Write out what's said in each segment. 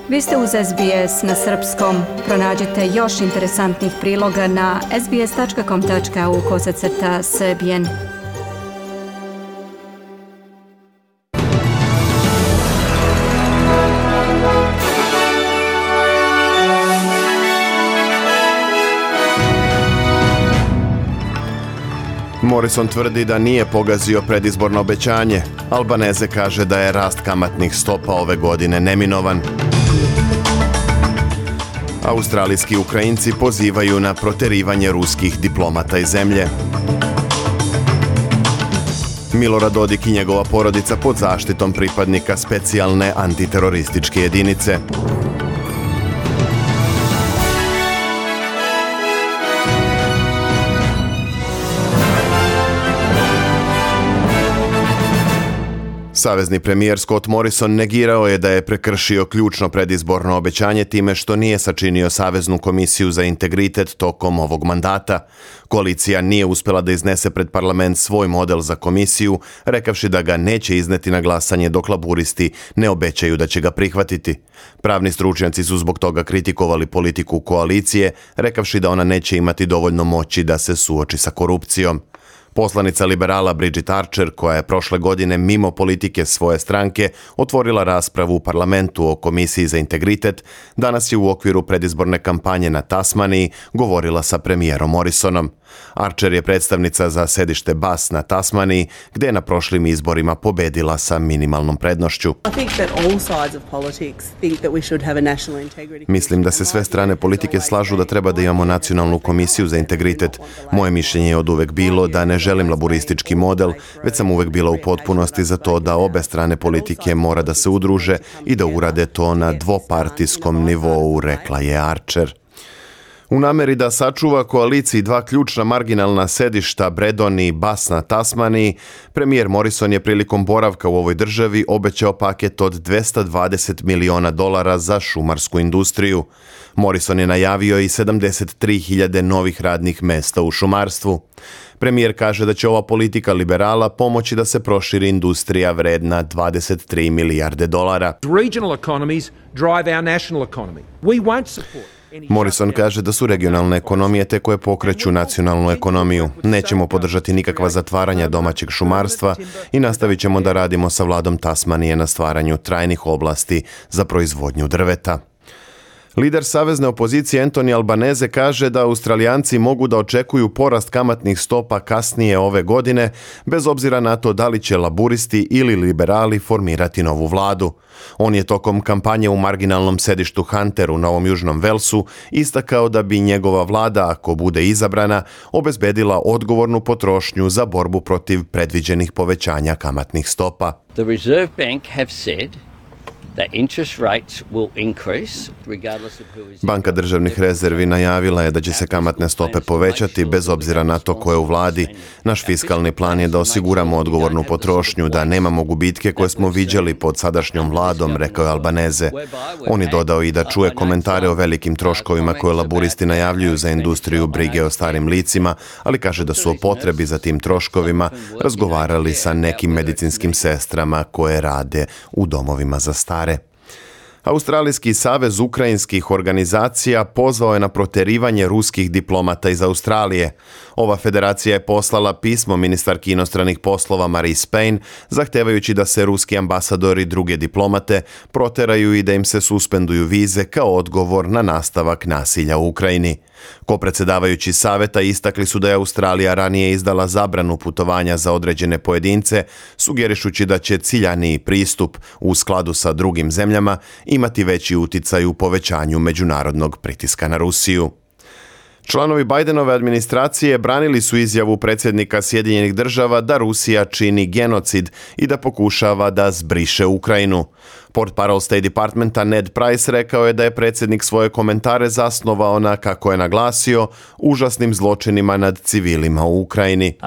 Vi ste uz SBS na srpskom. Pronađite još interesantnih priloga na sbs.com.au/srbijen. Morrison tvrdi da nije pogazio predizborno obećanje. Albanese kaže da je rast kamatnih stopa ove godine neminovan. Australijski Ukrajinci pozivaju na proterivanje ruskih diplomata iz zemlje. Milorad Dodik i njegova porodica pod zaštitom pripadnika specijalne antiterorističke jedinice. Savezni premijer Scott Morrison negirao je da je prekršio ključno predizborno obećanje time što nije sačinio Saveznu komisiju za integritet tokom ovog mandata. Koalicija nije uspjela da iznese pred parlament svoj model za komisiju, rekavši da ga neće izneti na glasanje dok laburisti ne obećaju da će ga prihvatiti. Pravni stručnjaci su zbog toga kritikovali politiku koalicije, rekavši da ona neće imati dovoljno moći da se suoči sa korupcijom. Poslanica liberala Bridget Archer, koja je prošle godine mimo politike svoje stranke otvorila raspravu u parlamentu o Komisiji za integritet, danas je u okviru predizborne kampanje na Tasmaniji govorila sa premijerom Morrisonom. Archer je predstavnica za sedište Bass na Tasmaniji, gdje je na prošlim izborima pobedila sa minimalnom prednošću. Mislim da se sve strane politike slažu da treba da imamo nacionalnu komisiju za integritet. Moje mišljenje je oduvek bilo da ne želim laburistički model, već sam uvek bila u potpunosti za to da obe strane politike mora da se udruže i da urade to na dvopartijskom nivou, rekla je Archer. U nameri da sačuva koaliciji dva ključna marginalna sedišta Bredon i Bass na Tasmaniji, premijer Morrison je prilikom boravka u ovoj državi obećao paket od $220 miliona za šumarsku industriju. Morrison je najavio i 73.000 novih radnih mesta u šumarstvu. Premijer kaže da će ova politika liberala pomoći da se proširi industrija vredna $23 milijarde. Regional economies drive our national economy. We won't support. Morrison kaže da su regionalne ekonomije te koje pokreću nacionalnu ekonomiju. Nećemo podržati nikakva zatvaranja domaćeg šumarstva i nastavit ćemo da radimo sa vladom Tasmanije na stvaranju trajnih oblasti za proizvodnju drveta. Lider savezne opozicije Anthony Albanese kaže da Australijanci mogu da očekuju porast kamatnih stopa kasnije ove godine, bez obzira na to da li će laburisti ili liberali formirati novu vladu. On je tokom kampanje u marginalnom sedištu Hunter u Novom Južnom Velsu istakao da bi njegova vlada, ako bude izabrana, obezbedila odgovornu potrošnju za borbu protiv predviđenih povećanja kamatnih stopa. The Reserve Bank have said that interest rates will increase regardless of who is. Banka državnih rezervi najavila je da će se kamatne stope povećati bez obzira na to ko je u vladi. Naš fiskalni plan je da osiguramo odgovornu potrošnju, da nemamo gubitke koje smo viđali pod sadašnjom vladom, rekao je Albanese. On je dodao i da čuje komentare o velikim troškovima koje laburisti najavljuju za industriju brige o starim licima, ali kaže da su o potrebi za tim troškovima razgovarali sa nekim medicinskim sestrama koje rade u domovima za stare. Australijski savez ukrajinskih organizacija pozvao je na proterivanje ruskih diplomata iz Australije. Ova federacija je poslala pismo ministarki inostranih poslova Marise Payne, zahtevajući da se ruski ambasadori i druge diplomate proteraju i da im se suspenduju vize kao odgovor na nastavak nasilja u Ukrajini. Kopredsjedavajući saveta istakli su da je Australija ranije izdala zabranu putovanja za određene pojedince, sugerišući da će ciljaniji pristup u skladu sa drugim zemljama imati veći uticaj u povećanju međunarodnog pritiska na Rusiju. Članovi Bidenove administracije branili su izjavu predsjednika Sjedinjenih Država da Rusija čini genocid i da pokušava da zbriše Ukrajinu. Portparol State Departmenta Ned Price rekao je da je predsjednik svoje komentare zasnovao na, kako je naglasio, užasnim zločinima nad civilima u Ukrajini.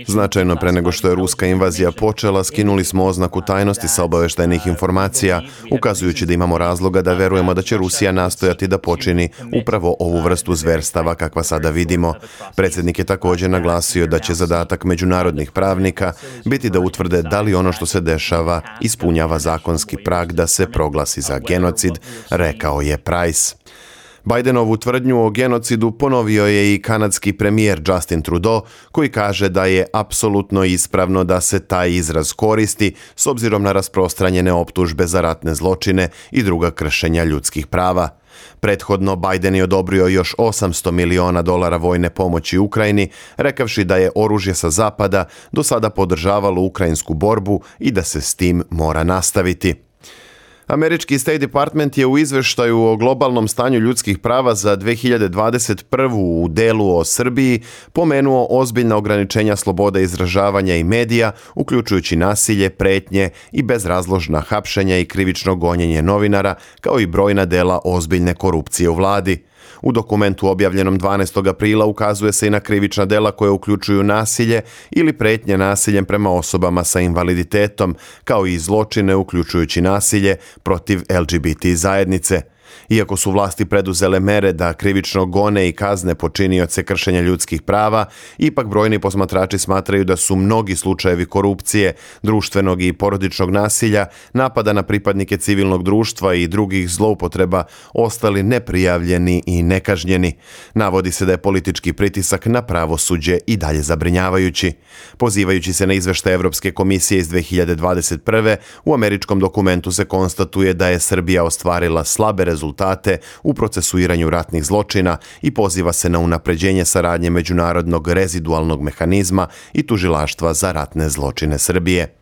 Značajno pre nego što je ruska invazija počela, skinuli smo oznaku tajnosti sa obaveštajnih informacija, ukazujući da imamo razloga razloga da verujemo da će Rusija nastojati da počini upravo ovu vrstu zverstava kakva sada vidimo. Predsjednik je također naglasio da će zadatak međunarodnih pravnika biti da utvrde da li ono što se dešava ispunjava zakonski prag da se proglasi za genocid, rekao je Price. Bidenovu tvrdnju o genocidu ponovio je i kanadski premijer Justin Trudeau, koji kaže da je apsolutno ispravno da se taj izraz koristi s obzirom na rasprostranjene optužbe za ratne zločine i druga kršenja ljudskih prava. Prethodno Biden je odobrio još $800 miliona vojne pomoći Ukrajini, rekavši da je oružje sa zapada do sada podržavalo ukrajinsku borbu i da se s tim mora nastaviti. Američki State Department je u izveštaju o globalnom stanju ljudskih prava za 2021. u delu o Srbiji pomenuo ozbiljna ograničenja slobode izražavanja i medija, uključujući nasilje, pretnje i bezrazložna hapšenja i krivično gonjenje novinara, kao i brojna dela ozbiljne korupcije u vladi. U dokumentu objavljenom 12. aprila ukazuje se i na krivična dela koje uključuju nasilje ili pretnje nasiljem prema osobama sa invaliditetom, kao i zločine uključujući nasilje protiv LGBT zajednice. Iako su vlasti preduzele mere da krivično gone i kazne počinioce kršenja ljudskih prava, ipak brojni posmatrači smatraju da su mnogi slučajevi korupcije, društvenog i porodičnog nasilja, napada na pripadnike civilnog društva i drugih zloupotreba ostali neprijavljeni i nekažnjeni. Navodi se da je politički pritisak na pravosuđe i dalje zabrinjavajući. Pozivajući se na izveštaj Evropske komisije iz 2021. u američkom dokumentu se konstatuje da je Srbija ostvarila slabe rezultate u procesuiranju ratnih zločina i poziva se na unapređenje saradnje međunarodnog rezidualnog mehanizma i tužilaštva za ratne zločine Srbije.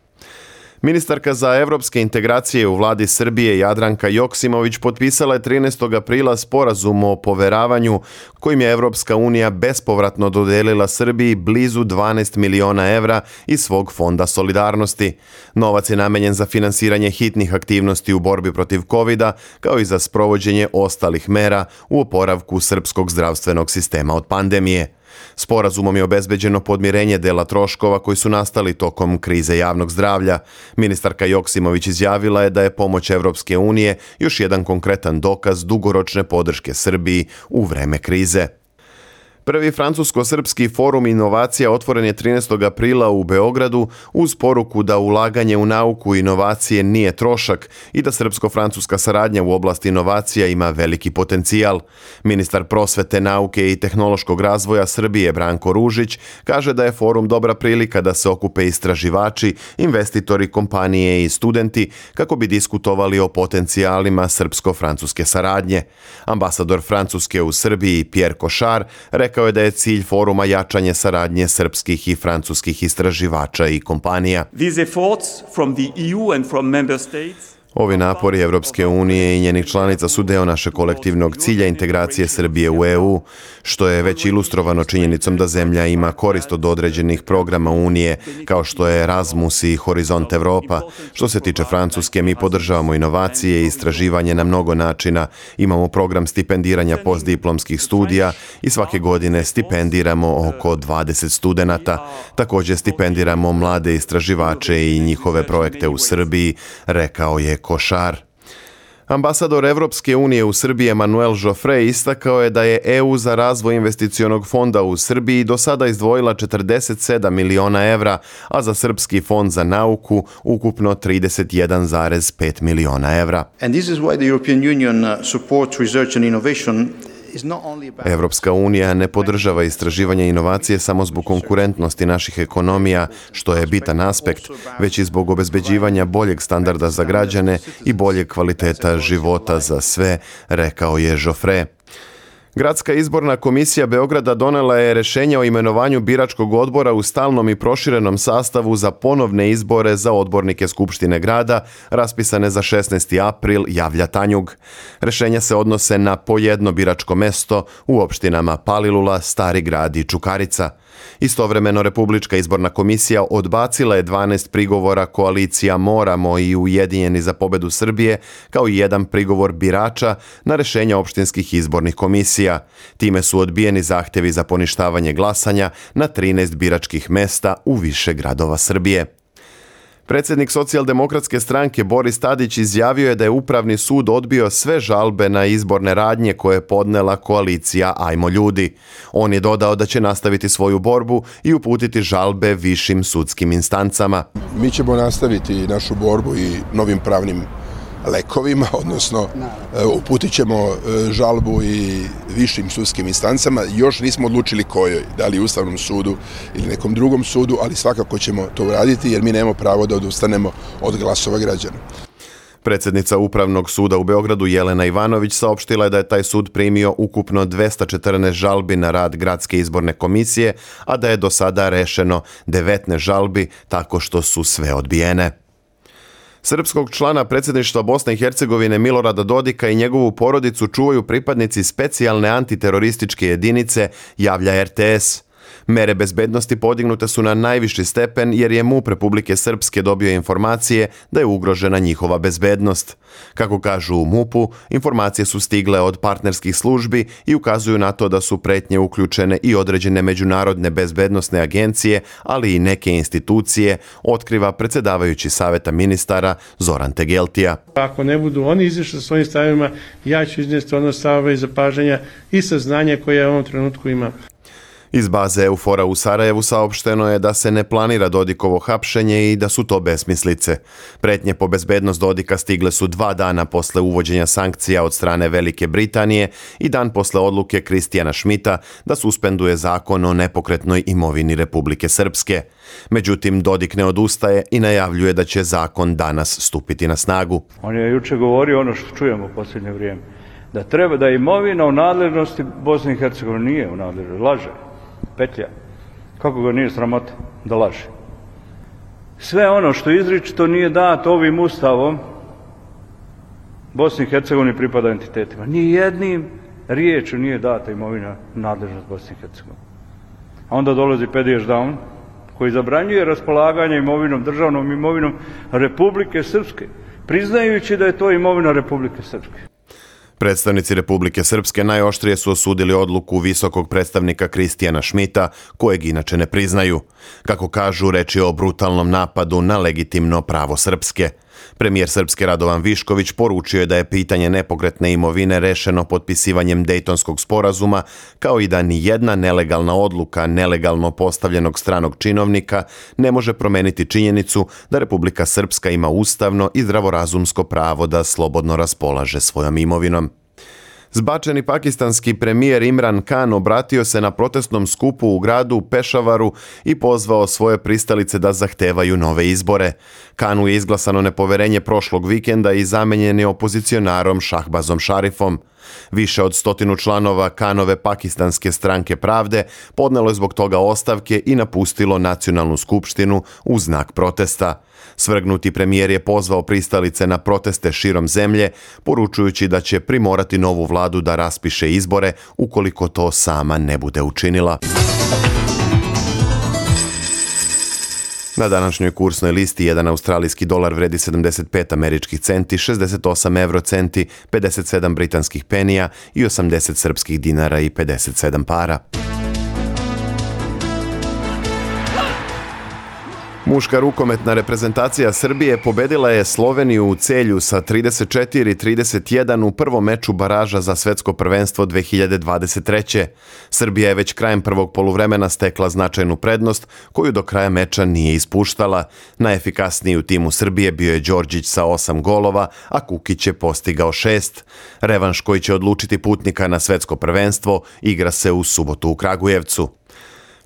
Ministarka za evropske integracije u vladi Srbije Jadranka Joksimović potpisala je 13. aprila sporazum o poveravanju kojim je Evropska unija bespovratno dodelila Srbiji blizu 12 miliona evra iz svog fonda solidarnosti. Novac je namenjen za finansiranje hitnih aktivnosti u borbi protiv covida, kao i za sprovođenje ostalih mera u oporavku srpskog zdravstvenog sistema od pandemije. Sporazumom je obezbeđeno podmirenje dela troškova koji su nastali tokom krize javnog zdravlja. Ministarka Joksimović izjavila je da je pomoć Evropske unije još jedan konkretan dokaz dugoročne podrške Srbiji u vreme krize. Prvi francusko-srpski forum inovacija otvoren je 13. aprila u Beogradu uz poruku da ulaganje u nauku i inovacije nije trošak i da srpsko-francuska saradnja u oblasti inovacija ima veliki potencijal. Ministar prosvete, nauke i tehnološkog razvoja Srbije Branko Ružić kaže da je forum dobra prilika da se okupe istraživači, investitori, kompanije i studenti kako bi diskutovali o potencijalima srpsko-francuske saradnje. Ambasador Francuske u Srbiji Pierre Cochard rekao je da je cilj foruma jačanje saradnje srpskih i francuskih istraživača i kompanija. Ovi napori Evropske unije i njenih članica su deo našeg kolektivnog cilja integracije Srbije u EU, što je već ilustrovano činjenicom da zemlja ima korist od određenih programa Unije, kao što je Erasmus i Horizont Evropa. Što se tiče Francuske, mi podržavamo inovacije i istraživanje na mnogo načina. Imamo program stipendiranja postdiplomskih studija i svake godine stipendiramo oko 20 studenata. Također stipendiramo mlade istraživače i njihove projekte u Srbiji, rekao je Košar. Ambasador Evropske unije u Srbiji Emanuel Joffre istakao je da je EU za razvoj investicionog fonda u Srbiji do sada izdvojila 47 miliona evra, a za Srpski fond za nauku ukupno 31,5 miliona evra. And this is why the European Union supports research and innovation. Evropska unija ne podržava istraživanje inovacije samo zbog konkurentnosti naših ekonomija, što je bitan aspekt, već i zbog obezbeđivanja boljeg standarda za građane i boljeg kvaliteta života za sve, rekao je Joffre. Gradska izborna komisija Beograda donela je rješenje o imenovanju biračkog odbora u stalnom i proširenom sastavu za ponovne izbore za odbornike Skupštine grada, raspisane za 16. april, javlja Tanjug. Rješenja se odnose na po jedno biračko mesto u opštinama Palilula, Stari grad i Čukarica. Istovremeno Republička izborna komisija odbacila je 12 prigovora koalicija Moramo i Ujedinjeni za pobedu Srbije, kao i jedan prigovor birača na rješenja opštinskih izbornih komisija. Time su odbijeni zahtjevi za poništavanje glasanja na 13 biračkih mesta u više gradova Srbije. Predsjednik Socijaldemokratske stranke Boris Tadić izjavio je da je Upravni sud odbio sve žalbe na izborne radnje koje je podnela koalicija Ajmo ljudi. On je dodao da će nastaviti svoju borbu i uputiti žalbe višim sudskim instancama. Mi ćemo nastaviti našu borbu i novim pravnim lekovima, odnosno uputit ćemo žalbu i višim sudskim instancama. Još nismo odlučili kojoj, da li Ustavnom sudu ili nekom drugom sudu, ali svakako ćemo to uraditi jer mi nemamo pravo da odustanemo od glasova građana. Predsjednica Upravnog suda u Beogradu Jelena Ivanović saopštila je da je taj sud primio ukupno 214 žalbi na rad Gradske izborne komisije, a da je do sada rešeno 19 žalbi tako što su sve odbijene. Srpskog člana predsjedništva Bosne i Hercegovine Milorada Dodika i njegovu porodicu čuvaju pripadnici specijalne antiterorističke jedinice, javlja RTS. Mere bezbednosti podignute su na najviši stepen jer je MUP Republike Srpske dobio informacije da je ugrožena njihova bezbednost. Kako kažu u MUP-u, informacije su stigle od partnerskih službi i ukazuju na to da su pretnje uključene i određene međunarodne bezbednosne agencije, ali i neke institucije, otkriva predsjedavajući Saveta ministara Zoran Tegeltija. Ako ne budu oni izišli sa svojim stavima, ja ću iznijeti ono stavove i zapažanja i saznanja koje ja u ovom trenutku imam. Iz baze Eufora u Sarajevu saopšteno je da se ne planira Dodikovo hapšenje i da su to besmislice. Pretnje po bezbednost Dodika stigle su 2 dana posle uvođenja sankcija od strane Velike Britanije i dan posle odluke Kristijana Šmita da suspenduje zakon o nepokretnoj imovini Republike Srpske. Međutim, Dodik ne odustaje i najavljuje da će zakon danas stupiti na snagu. On je juče govorio ono što čujemo u posljednje vrijeme, da treba da imovina u nadležnosti Bosne i Hercegovine nije u nadležnosti, laže. Petlja. Kako ga nije sramota da laže? Sve ono što izričito nije dato ovim ustavom Bosni i Hercegovini pripada entitetima. Ni jednim riječju nije data imovina nadležnost Bosne i Hercegovine. A onda dolazi Pediš Down koji zabranjuje raspolaganje imovinom, državnom imovinom Republike Srpske, priznajući da je to imovina Republike Srpske. Predstavnici Republike Srpske najoštrije su osudili odluku visokog predstavnika Kristijana Šmita, kojeg inače ne priznaju. Kako kažu, reč je o brutalnom napadu na legitimno pravo Srpske. Premijer Srpske Radovan Višković poručio je da je pitanje nepokretne imovine rešeno potpisivanjem Dejtonskog sporazuma, kao i da ni jedna nelegalna odluka nelegalno postavljenog stranog činovnika ne može promeniti činjenicu da Republika Srpska ima ustavno i zdravorazumsko pravo da slobodno raspolaže svojom imovinom. Zbačeni pakistanski premijer Imran Khan obratio se na protestnom skupu u gradu Pešavaru i pozvao svoje pristalice da zahtevaju nove izbore. Khanu je izglasano nepoverenje prošlog vikenda i zamenjen je opozicionarom Šahbazom Šarifom. Više od 100 članova Khanove pakistanske stranke Pravde podnelo je zbog toga ostavke i napustilo nacionalnu skupštinu u znak protesta. Svrgnuti premijer je pozvao pristalice na proteste širom zemlje, poručujući da će primorati novu vladu da raspiše izbore ukoliko to sama ne bude učinila. Na današnjoj kursnoj listi jedan australijski dolar vredi 75 američkih centi, 68 eurocenti, 57 britanskih penija i 80 srpskih dinara i 57 para. Muška rukometna reprezentacija Srbije pobedila je Sloveniju u Celju sa 34-31 u prvom meču baraža za svetsko prvenstvo 2023. Srbija je već krajem prvog poluvremena stekla značajnu prednost koju do kraja meča nije ispuštala. Najefikasniji u timu Srbije bio je Đorđić sa 8 golova, a Kukić je postigao 6. Revanš koji će odlučiti putnika na svetsko prvenstvo igra se u subotu u Kragujevcu.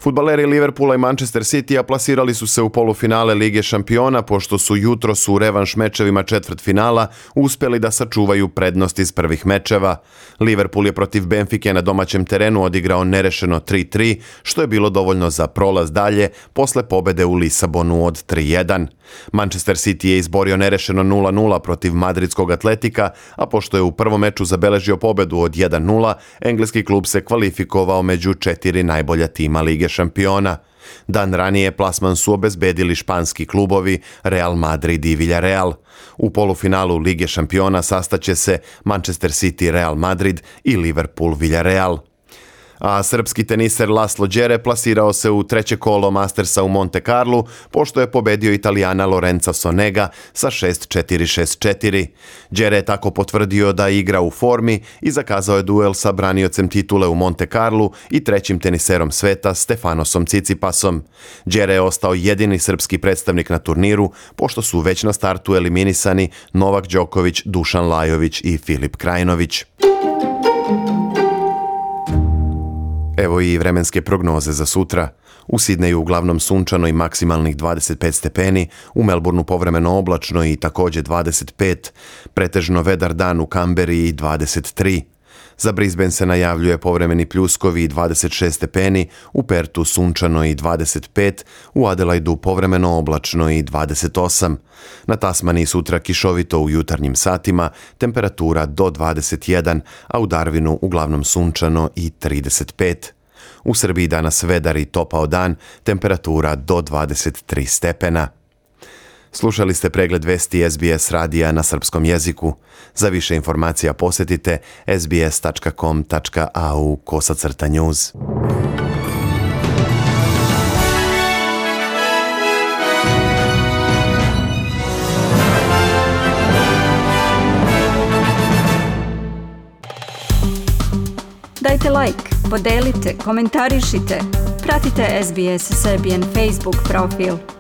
Fudbaleri Liverpoola i Manchester Citya plasirali su se u polufinale Lige šampiona pošto su jutros u revanš mečevima četvrtfinala uspjeli da sačuvaju prednost iz prvih mečeva. Liverpool je protiv Benfike na domaćem terenu odigrao nerešeno 3-3, što je bilo dovoljno za prolaz dalje posle pobede u Lisabonu od 3-1. Manchester City je izborio nerešeno 0-0 protiv madridskog Atletika, a pošto je u prvom meču zabeležio pobedu od 1-0, engleski klub se kvalifikovao među 4 najbolja tima Lige šampiona. Dan ranije plasman su obezbedili španski klubovi Real Madrid i Villarreal. U polufinalu Lige šampiona sastaće se Manchester City Real Madrid i Liverpool Villarreal. A srpski teniser Laslo Đere plasirao se u treće kolo Mastersa u Monte Carlu, pošto je pobedio Italijana Lorenza Sonega sa 6-4, 6-4. Đere je tako potvrdio da igra u formi i zakazao je duel sa braniocem titule u Monte Carlu i trećim teniserom sveta Stefanosom Cicipasom. Đere je ostao jedini srpski predstavnik na turniru, pošto su već na startu eliminisani Novak Đoković, Dušan Lajović i Filip Krajinović. Evo i vremenske prognoze za sutra. U Sidneju uglavnom sunčano i maksimalnih 25 stepeni, u Melbourneu povremeno oblačno i također 25, pretežno vedar dan u Kamberi i 23. Za Brisbane se najavljuje povremeni pljuskovi i 26 stepeni, u Pertu sunčano i 25, u Adelaidu povremeno oblačno i 28. Na Tasmaniji sutra kišovito u jutarnjim satima, temperatura do 21, a u Darwinu uglavnom sunčano i 35. U Srbiji danas vedar i topao dan, temperatura do 23 stepena. Slušali ste pregled vesti SBS radija na srpskom jeziku. Za više informacija posjetite sbs.com.au/news. Dajte like, podelite, komentarišite. Pratite SBS Serbian Facebook profil.